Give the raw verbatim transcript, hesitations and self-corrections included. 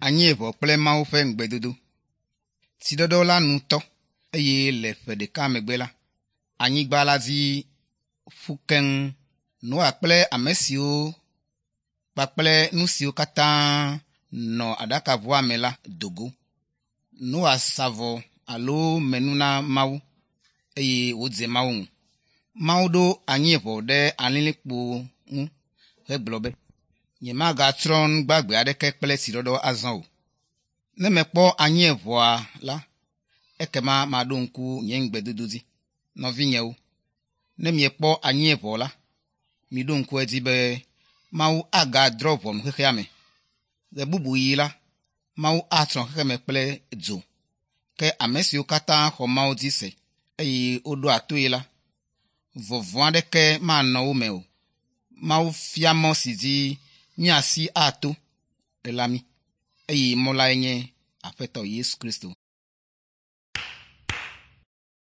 Anyieʋɔ kple Mawu ƒe ŋugbedodo. Tsiɖɔɖɔ la nu tɔ eye le ƒe ɖeka megbe la, anyigba la dzi ƒu keŋ. Noa kple ame siwo kpakple nu siwo katã nɔ aɖakaʋua me la do go. Noa sa vɔ alo me nu na Mawu eye wòdze Mawu ŋu. Mawu ɖo anyieʋɔ ɖe alilikpo ŋu hegblɔ be, nyemagatsrɔ̃ nu gbagbe aɖeke kple tsiɖɔɖɔ azɔ o. Ne mekpɔ anyieʋɔa la, ekema maɖo ŋku nye ŋugbedodo dzi. Nɔvinyewo, ne miekpɔ anyieʋɔ la, miɖo ŋku edzi be Mawu agadrɔ̃ ʋɔnu xexea me. Ɣe bubu ɣi la, Mawu atsrɔ̃ xexeme kple dzo. Ke ame siwo katã xɔ Mawu dzi se eye woɖoa toe la, vɔvɔ̃ aɖeke manɔ wo me o. Mawu fia mɔ si dzi míasi ato la mí eye mɔ lae nye Aƒetɔ Yesu Kristo.